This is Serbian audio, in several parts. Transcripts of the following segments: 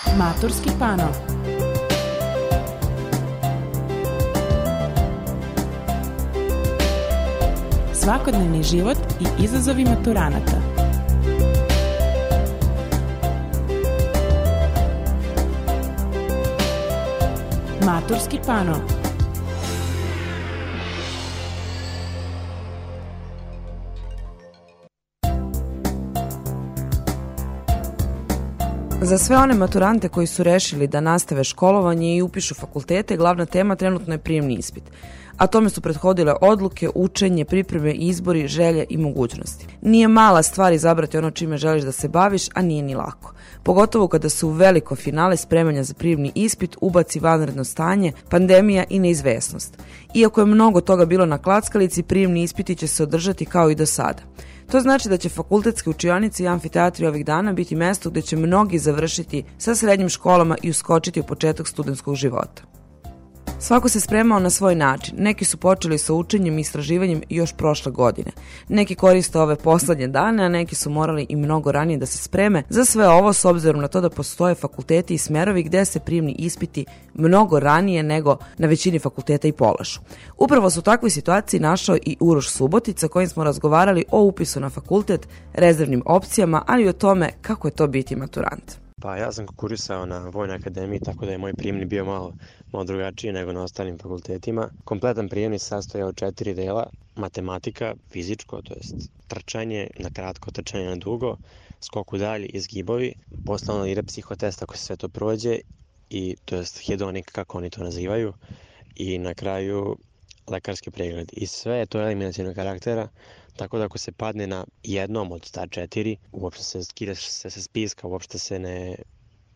Maturski pano. Svakodnevni život i izazovi maturanata. Maturski pano. Za sve one maturante koji su rešili da nastave školovanje i upišu fakultete, glavna tema trenutno je prijemni ispit. A tome su prethodile odluke, učenje, pripreme, izbori, želje i mogućnosti. Nije mala stvar izabrati ono čime želiš da se baviš, a nije ni lako. Pogotovo kada se u veliko finale spremanja za prijemni ispit ubaci vanredno stanje, pandemija i neizvesnost. Iako je mnogo toga bilo na klackalici, prijemni ispiti će se održati kao i do sada. To znači da će fakultetske učionice i amfiteatri ovih dana biti mesto gde će mnogi završiti sa srednjim školama i uskočiti u početak studentskog života. Svako se spremao na svoj način. Neki su počeli sa učenjem i istraživanjem još prošle godine. Neki koriste ove poslednje dane, a neki su morali i mnogo ranije da se spreme za sve ovo s obzirom na to da postoje fakulteti i smerovi gde se prijemni ispiti mnogo ranije nego na većini fakulteta i polažu. Upravo su u takvoj situaciji našao i Uroš Subotica, kojim smo razgovarali o upisu na fakultet, rezervnim opcijama, ali i o tome kako je to biti maturant. Pa ja sam konkurisao na Vojnoj akademiji, tako da je moj prijemni bio malo drugačiji nego na ostalim fakultetima. Kompletan prijemni se sastoji od 4 dela: matematika, fizičko, to jest trčanje, na kratko, trčanje na dugo, skok u dalj i zgibovi, posle onda ide psihotest ako se sve to prođe, i to jest hedonik kako oni to nazivaju, i na kraju lekarski pregled. I sve je to eliminacionog karaktera, tako da ako se padne na jednom od ta 4, uopšte se skidaš se sa spiska, uopšte se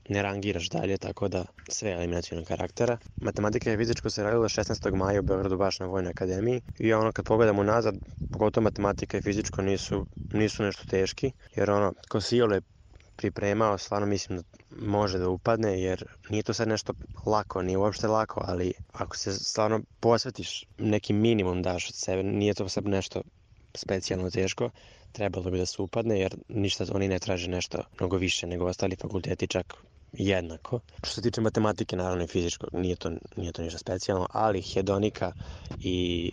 ne rangiraš dalje, tako da sve je eliminacionog karaktera. Matematika i fizičko se radilo 16. maja u Beogradu baš na Vojnoj akademiji, i kad pogledamo nazad, pogotovo matematika i fizičko nisu nešto teški, jer ko se iole pripremao, stvarno mislim da može da upadne, jer nije to sad nešto lako, nije uopšte lako, ali ako se stvarno posvetiš, neki minimum daš od sebe, nije to sad nešto specijalno teško, trebalo bi da se upadne, jer ništa oni ne traže nešto mnogo više nego ostali fakulteti, čak jednako. Što se tiče matematike, naravno i fizičkog, nije to ništa specijalno, ali hedonika i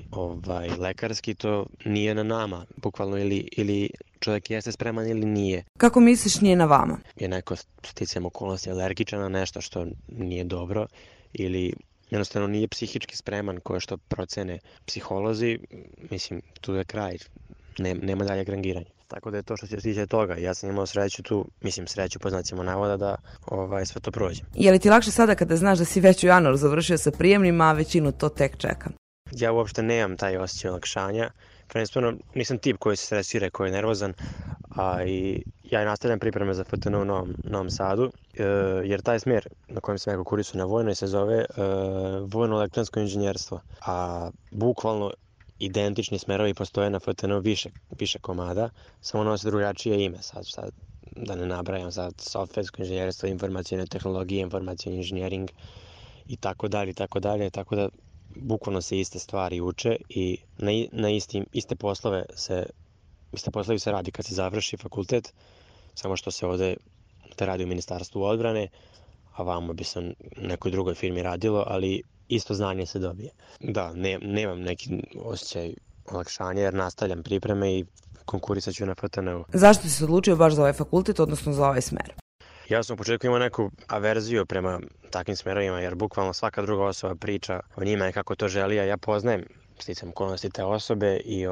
lekarski, to nije na nama, bukvalno, ili čovjek jeste spreman ili nije. Kako misliš nije na vama? Je neko sticajem okolnosti alergičan na nešto što nije dobro, ili jednostavno nije psihički spreman, koje što procene psiholozi, mislim, tu je kraj, nema dalje rangiranja. Tako da je to što se tiče toga. Ja sam imao sreću tu, sreću po znacima navoda, da sve to prođe. Je li ti lakše sada kada znaš da si već u januaru završio sa prijemnima, a većinu to tek čeka? Ja uopšte nemam taj osjećaj olakšanja. Prvenstveno nisam tip koji se stresira, koji je nervozan, a i ja nastavljam pripreme za FTN u Novom Sadu, jer taj smjer na kojem sam ja konkurisao na Vojnoj se zove vojno elektronsko inženjerstvo, a bukvalno identični smerovi postoje na FTN više komada, samo nose drugačije ime, sad da ne nabrajam, sad softversko inženjerstvo, informacijne tehnologije, informacijni inženjering i tako dalje, tako da bukvalno se iste stvari uče i na iste poslovi se radi kad se završi fakultet, samo što se ovde te radi u Ministarstvu odbrane, a vamo bi se u nekoj drugoj firmi radilo, ali isto znanje se dobije. Da, nemam neki osjećaj olakšanja, jer nastavljam pripreme i konkurisat ću na FTN-u. Zašto si se odlučio baš za ovaj fakultet, odnosno za ovaj smer? Ja sam u početku imao neku averziju prema takvim smerovima, jer bukvalno svaka druga osoba priča o njima i kako to želi, a ja poznajem sticajem okolnosti te osobe i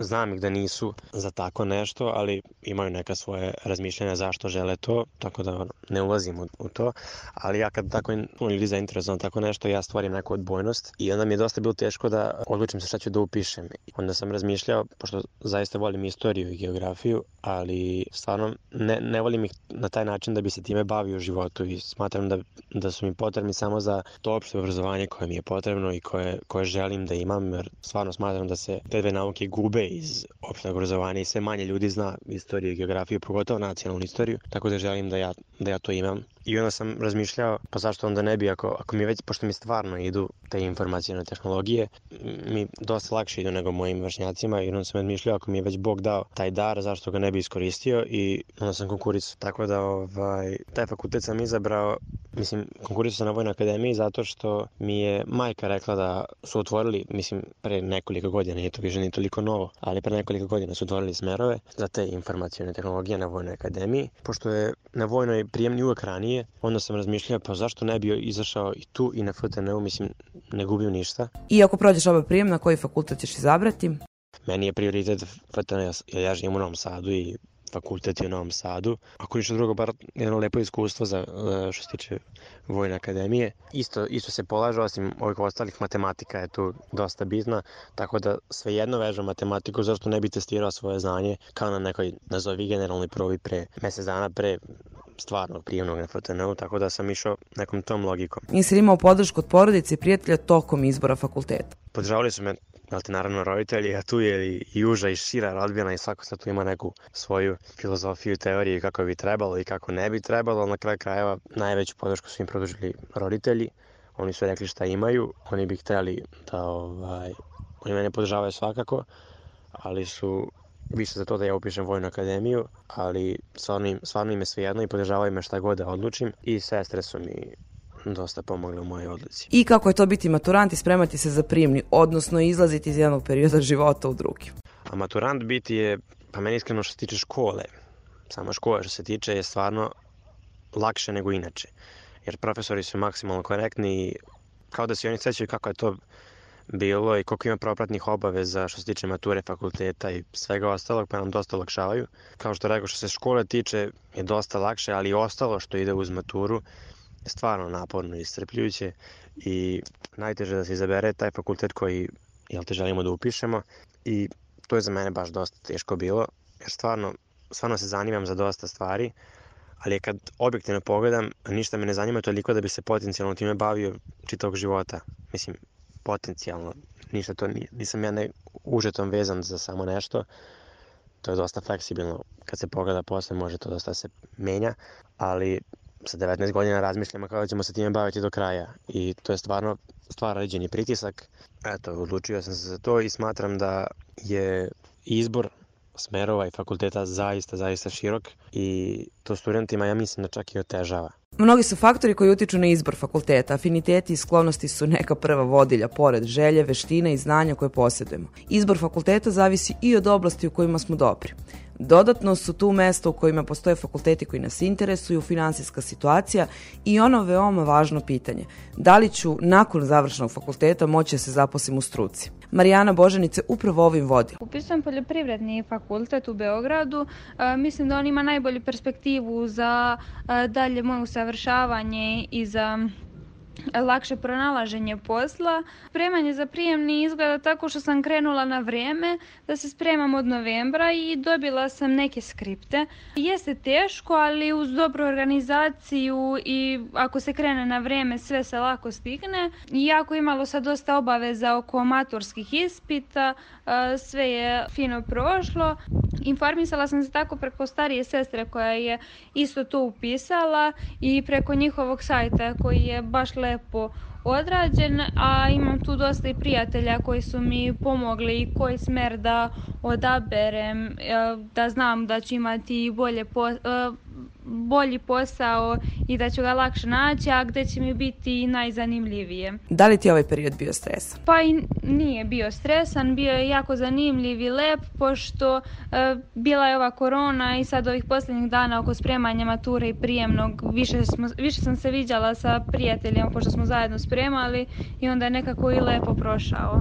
znam ih da nisu za tako nešto, ali imaju neka svoje razmišljanja zašto žele to, tako da ne ulazim u to, ali ja kad tako ljudi zainteresovan tako nešto, ja stvorim neku odbojnost i onda mi je dosta bilo teško da odlučim se šta ću da upišem. Onda sam razmišljao, pošto zaista volim istoriju i geografiju, ali stvarno ne volim ih na taj način da bi se time bavio u životu, i smatram da su mi potrebni samo za to opšte obrazovanje koje mi je potrebno i koje želim da imam, jer stvarno smatram da se te dve nauke gube iz opšteg obrazovanja i sve manje ljudi zna istoriju i geografiju, pogotovo nacionalnu istoriju, tako da želim da ja to imam I onda sam razmišljao, pa zašto onda ne bi, ako mi već, pošto mi stvarno idu te informacijne tehnologije, mi dosta lakše idu nego mojim vršnjacima, i onda sam razmišljao, ako mi je već Bog dao taj dar, zašto ga ne bi iskoristio, i onda sam konkurisao. Tako da taj fakultet sam izabrao, konkurisao sam na Vojnoj akademiji zato što mi je majka rekla da su otvorili, pre nekoliko godina, nije to više ni toliko novo, ali pre nekoliko godina su otvorili smerove za te informacijne tehnologije na Vojnoj akademiji. Pošto je na Vojnoj prijemni uvek ranije, onda sam razmišljao, pa zašto ne bi izašao i tu i na FTN-u, ne gubim ništa. I ako prođeš ovaj prijem, na koji fakultet ćeš izabrati? Meni je prioritet FTN, jer ja živim u Novom Sadu i fakultet je u Novom Sadu. Ako ništa drugo, bar jedno lepo iskustvo za što se tiče Vojne akademije. Isto se polaže, osim ovih ostalih, matematika je tu dosta bitna, tako da svejedno vežem matematiku, zašto ne bi testirao svoje znanje kao na nekoj, nazovi, generalnoj probi pre mesec dana pre stvarnog prijemnog na FTN-u, tako da sam išao nekom tom logikom. Jesi li imao podršku od porodice i prijatelja tokom izbora fakulteta? Podržavali su me, naravno, roditelji, a tu je i uža i šira rodbina i svako sad tu ima neku svoju filozofiju, teoriju kako bi trebalo i kako ne bi trebalo. Na kraju krajeva najveću podršku su im produžili roditelji. Oni su rekli šta imaju, oni bi hteli da oni mene podržavaju svakako, ali su više za to da ja upišem Vojnu akademiju, ali stvarno im je svejedno i podržavaju me šta god da odlučim, i sestre su mi dosta pomogle u mojoj odluci. I kako je to biti maturant i spremati se za prijemni, odnosno izlaziti iz jednog perioda života u drugi? A maturant biti je, pa meni iskreno što se tiče škole, sama škola što se tiče je stvarno lakše nego inače, jer profesori su maksimalno korektni i kao da se oni sećaju kako je to bilo i koliko ima propratnih obaveza što se tiče mature, fakulteta i svega ostalog, pa nam dosta olakšavaju. Kao što rekao, što se škole tiče je dosta lakše, ali i ostalo što ide uz maturu je stvarno naporno i iscrpljujuće, i najteže da se izabere taj fakultet koji želimo da upišemo, i to je za mene baš dosta teško bilo, jer stvarno se zanimam za dosta stvari, ali kad objektivno pogledam, ništa me ne zanima toliko da bi se potencijalno time bavio čitavog života. Potencijalno, ništa to nisam ja užetom vezan za samo nešto, to je dosta fleksibilno, kad se pogleda posle može to dosta se menja, ali sa 19 godina razmišljamo kako ćemo se time baviti do kraja, i to je stvarno određeni pritisak. Eto, odlučio sam se za to i smatram da je izbor smerova i fakulteta zaista širok, i to studentima, ja mislim, da čak i otežava. Mnogi su faktori koji utiču na izbor fakulteta. Afiniteti i sklonosti su neka prva vodilja, pored želje, veštine i znanja koje posjedujemo. Izbor fakulteta zavisi i od oblasti u kojima smo dobri. Dodatno su tu mesta u kojima postoje fakulteti koji nas interesuju, finansijska situacija i ono veoma važno pitanje: da li ću nakon završenog fakulteta moći da se zaposlim u struci? Marijana Božanice upravo ovim vodi. Upisujem poljoprivredni fakultet u Beogradu. Mislim da on ima najbolju perspektivu za dalje moje usavršavanje i za lakše pronalaženje posla. Spremanje za prijemni izgleda tako što sam krenula na vrijeme, da se spremam od novembra i dobila sam neke skripte. Jeste teško, ali uz dobru organizaciju i ako se krene na vrijeme sve se lako stigne. Iako imalo sad dosta obaveza oko maturskih ispita, sve je fino prošlo. Informisala sam se tako preko starije sestre koja je isto to upisala i preko njihovog sajta koji je baš lepo odrađen, a imam tu dosta i prijatelja koji su mi pomogli koji smer da odaberem, da znam da ću imati bolji posao i da ću ga lakše naći, a gde će mi biti najzanimljivije. Da li ti je ovaj period bio stresan? Pa i nije bio stresan, bio je jako zanimljiv i lep, pošto bila je ova korona i sad ovih posljednjih dana oko spremanja mature i prijemnog više sam se viđala sa prijateljima pošto smo zajedno spremali i onda je nekako i lepo prošao.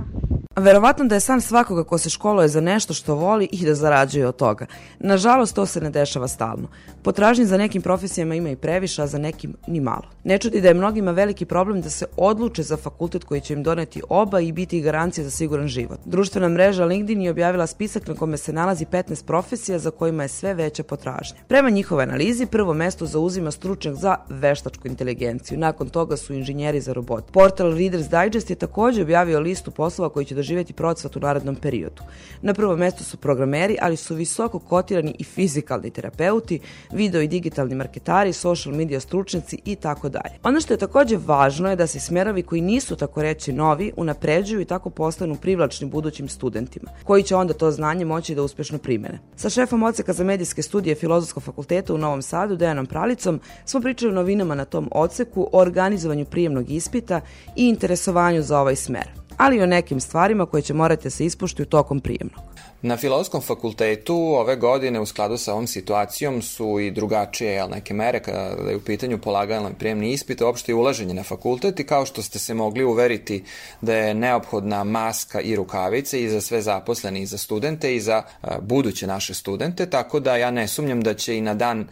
Verovatno da je san svakoga ko se školuje za nešto što voli i da zarađuje od toga. Nažalost, to se ne dešava stalno. Potražnje za nekim profesijama ima i previše, a za nekim ni malo. Ne čudi da je mnogima veliki problem da se odluče za fakultet koji će im doneti oba i biti garancija za siguran život. Društvena mreža LinkedIn je objavila spisak na kome se nalazi 15 profesija za kojima je sve veća potražnja. Prema njihovoj analizi, prvo mesto zauzima stručnjak za veštačku inteligenciju. Nakon toga su inženjeri za robot. Portal Reader's Digest je također objavio listu poslova koji će doživjeti preživjeti procvat u narednom periodu. Na prvom mjestu su programeri, ali su visoko kotirani i fizikalni terapeuti, video i digitalni marketari, social media stručnjaci i tako dalje. Ono što je također važno je da se smjerovi koji nisu tako reći novi unapređuju i tako postanu privlačni budućim studentima, koji će onda to znanje moći da uspješno primene. Sa šefom odseka za medijske studije Filozofskog fakulteta u Novom Sadu, Dejanom Pralicom, smo pričali o novinama na tom odseku, o organizovanju prijemnog ispita i interesovanju za ovaj smer, ali i o nekim stvarima koje će morati se ispoštuju tokom prijemnog. Na Filozofskom fakultetu ove godine u skladu sa ovom situacijom su i drugačije neke mere kada je u pitanju polaganje prijemni ispit, uopšte i ulaženje na fakultet i kao što ste se mogli uveriti da je neophodna maska i rukavice i za sve zaposlene i za studente i za buduće naše studente, tako da ja ne sumnjam da će i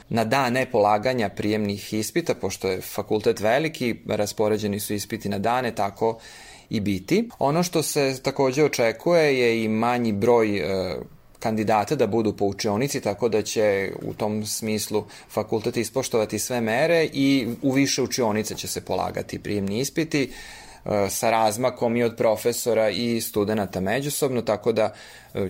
na dane polaganja prijemnih ispita, pošto je fakultet veliki, raspoređeni su ispiti na dane, tako i biti. Ono što se također očekuje je i manji broj kandidata da budu po učionici, tako da će u tom smislu fakultet ispoštovati sve mere i u više učionice će se polagati prijemni ispiti sa razmakom i od profesora i studenata međusobno, tako da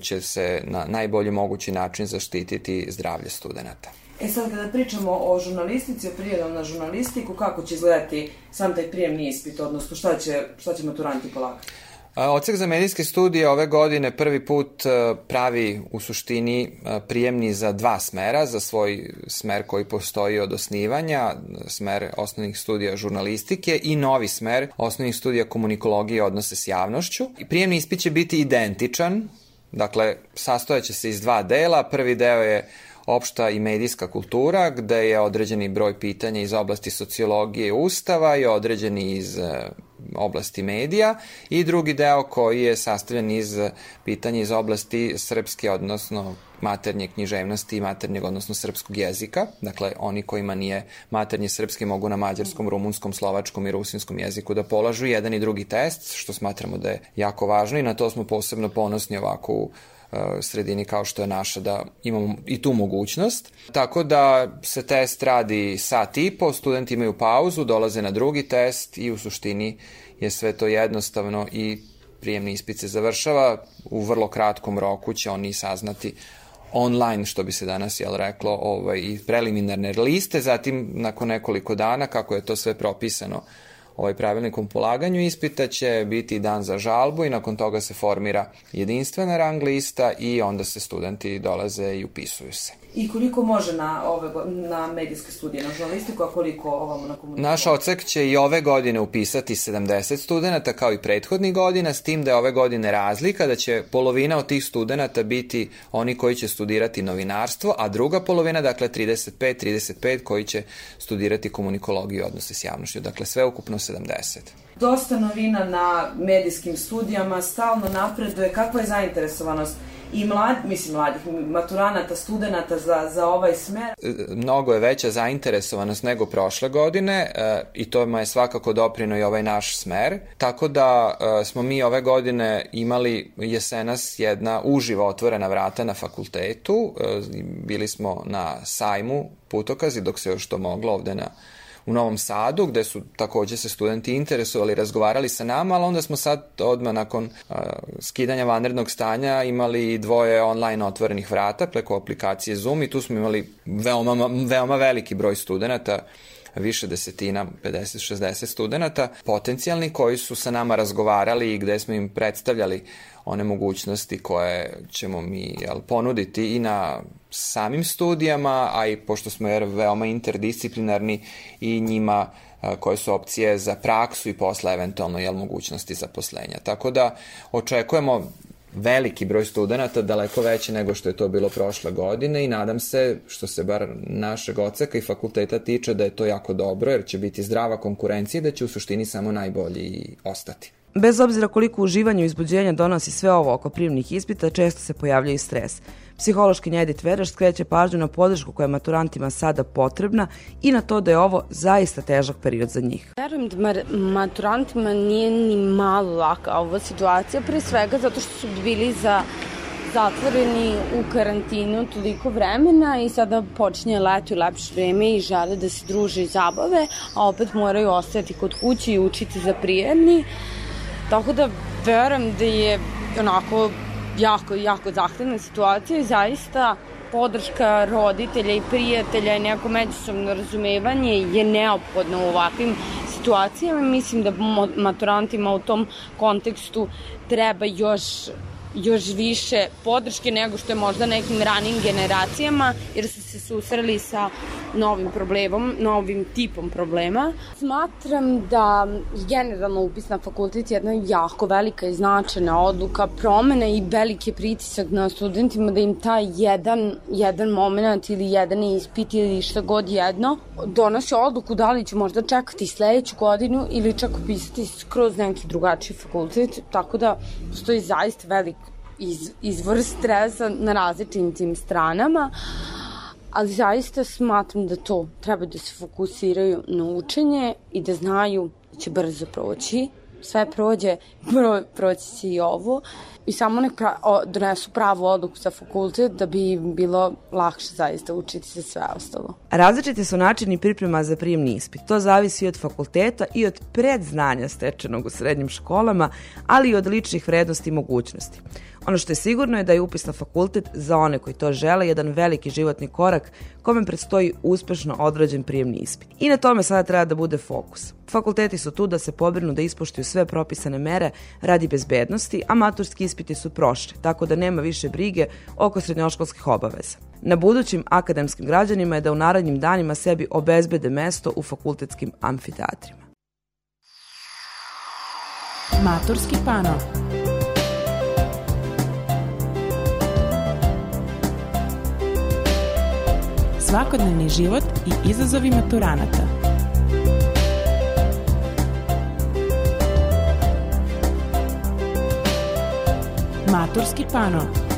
će se na najbolji mogući način zaštititi zdravlje studenata. Sad kada pričamo o žurnalistici, o prijemom na žurnalistiku, kako će izgledati sam taj prijemni ispit, odnosno šta će maturanti polagati? Odsek za medijske studije ove godine prvi put pravi u suštini prijemni za 2 smera, za svoj smer koji postoji od osnivanja, smer osnovnih studija žurnalistike i novi smer osnovnih studija komunikologije i odnose s javnošću. Prijemni ispit će biti identičan, dakle sastojaće se iz 2 dela, prvi deo je opšta i medijska kultura, gde je određeni broj pitanja iz oblasti sociologije i ustava i određeni iz oblasti medija i drugi deo koji je sastavljen iz pitanja iz oblasti srpske, odnosno maternje književnosti i maternjeg, odnosno srpskog jezika. Dakle, oni kojima nije maternji srpski mogu na mađarskom, rumunskom, slovačkom i rusinskom jeziku da polažu jedan i drugi test, što smatramo da je jako važno i na to smo posebno ponosni ovako u sredini kao što je naša, da imamo i tu mogućnost. Tako da se test radi sat i po, studenti imaju pauzu, dolaze na drugi test i u suštini je sve to jednostavno i prijemni ispit se završava. U vrlo kratkom roku će oni saznati online, što bi se danas reklo, i preliminarne liste, zatim nakon nekoliko dana, kako je to sve propisano pravilnikom polaganju ispita, će biti dan za žalbu i nakon toga se formira jedinstvena rang lista i onda se studenti dolaze i upisuju se. I koliko može na medijske studije, na žurnalistiku, a koliko ovamo na komunikaciju? Naš odsek će i ove godine upisati 70 studenta kao i prethodnih godina, s tim da je ove godine razlika, da će polovina od tih studenta biti oni koji će studirati novinarstvo, a druga polovina, dakle 35 koji će studirati komunikologiju i odnose s javnošću. Dakle, sve ukupno 70. Dosta novina na medijskim studijama, stalno napreduje. Kakva je zainteresovanost i mladih maturanata, studenata za ovaj smer? Mnogo je veća zainteresovanost nego prošle godine i to je svakako doprineo i ovaj naš smer. Tako da smo mi ove godine imali jesenas jedna uživo otvorena vrata na fakultetu. Bili smo na sajmu Putokazi dok se još to moglo ovde u Novom Sadu, gde su također se studenti interesovali, razgovarali sa nama, ali onda smo sad odmah nakon skidanja vanrednog stanja imali 2 online otvorenih vrata preko aplikacije Zoom i tu smo imali veoma veliki broj studenta, više desetina, 50-60 studenta, potencijalni koji su sa nama razgovarali i gde smo im predstavljali one mogućnosti koje ćemo mi ponuditi i na samim studijama, a i pošto smo veoma interdisciplinarni i njima koje su opcije za praksu i posle eventualno mogućnosti zaposlenja. Tako da očekujemo veliki broj studenta, daleko veći nego što je to bilo prošle godine i nadam se, što se bar našeg odseka i fakulteta tiče, da je to jako dobro jer će biti zdrava konkurencija i da će u suštini samo najbolji ostati. Bez obzira koliko uživanje i uzbuđenja donosi sve ovo oko prijemnih ispita, često se pojavlja i stres. Psihološkinja Edith Veraš skreće pažnju na podršku koja je maturantima sada potrebna i na to da je ovo zaista težak period za njih. Verujem da maturantima nije ni malo laka ova situacija, pre svega zato što su bili zatvoreni u karantinu toliko vremena i sada počinje leto i lepše vreme i žele da se druže i zabave, a opet moraju ostati kod kuće i učiti za prijemni. Tako da verujem da je onako jako zahtevna situacija i zaista podrška roditelja i prijatelja i neko međusobno razumevanje je neophodno u ovakvim situacijama. Mislim da maturantima u tom kontekstu treba još više podrške nego što je možda nekim ranijim generacijama, jer su se susreli sa novim problemom, novim tipom problema. Smatram da generalno upis na fakultet je jedna jako velika i značajna odluka, promena i veliki pritisak na studentima da im taj jedan moment ili jedan ispit ili šta god jedno donosi odluku da li će možda čekati sledeću godinu ili čak upisati skroz neki drugačiji fakultet, tako da postoji zaista velik izvor stresa na različitim tim stranama, ali zaista smatram da to treba da se fokusiraju na učenje i da znaju da će brzo proći. Sve prođe, proći će i ovo i samo nek donesu pravu odluku za fakultet da bi bilo lakše zaista učiti se sve ostalo. Različiti su načini priprema za prijemni ispit. To zavisi od fakulteta i od predznanja stečenog u srednjim školama, ali i od ličnih vrednosti i mogućnosti. Ono što je sigurno je da je upis na fakultet za one koji to žele jedan veliki životni korak kome predstoji uspešno odrađen prijemni ispit. I na tome sada treba da bude fokus. Fakulteti su tu da se pobrinu da ispoštuju sve propisane mere radi bezbednosti, a maturski ispiti su prošli, tako da nema više brige oko srednjoškolskih obaveza. Na budućim akademskim građanima je da u narednim danima sebi obezbede mesto u fakultetskim amfiteatrima. Maturski pano. Svakodnevni život i izazovi maturanata. Maturski pano.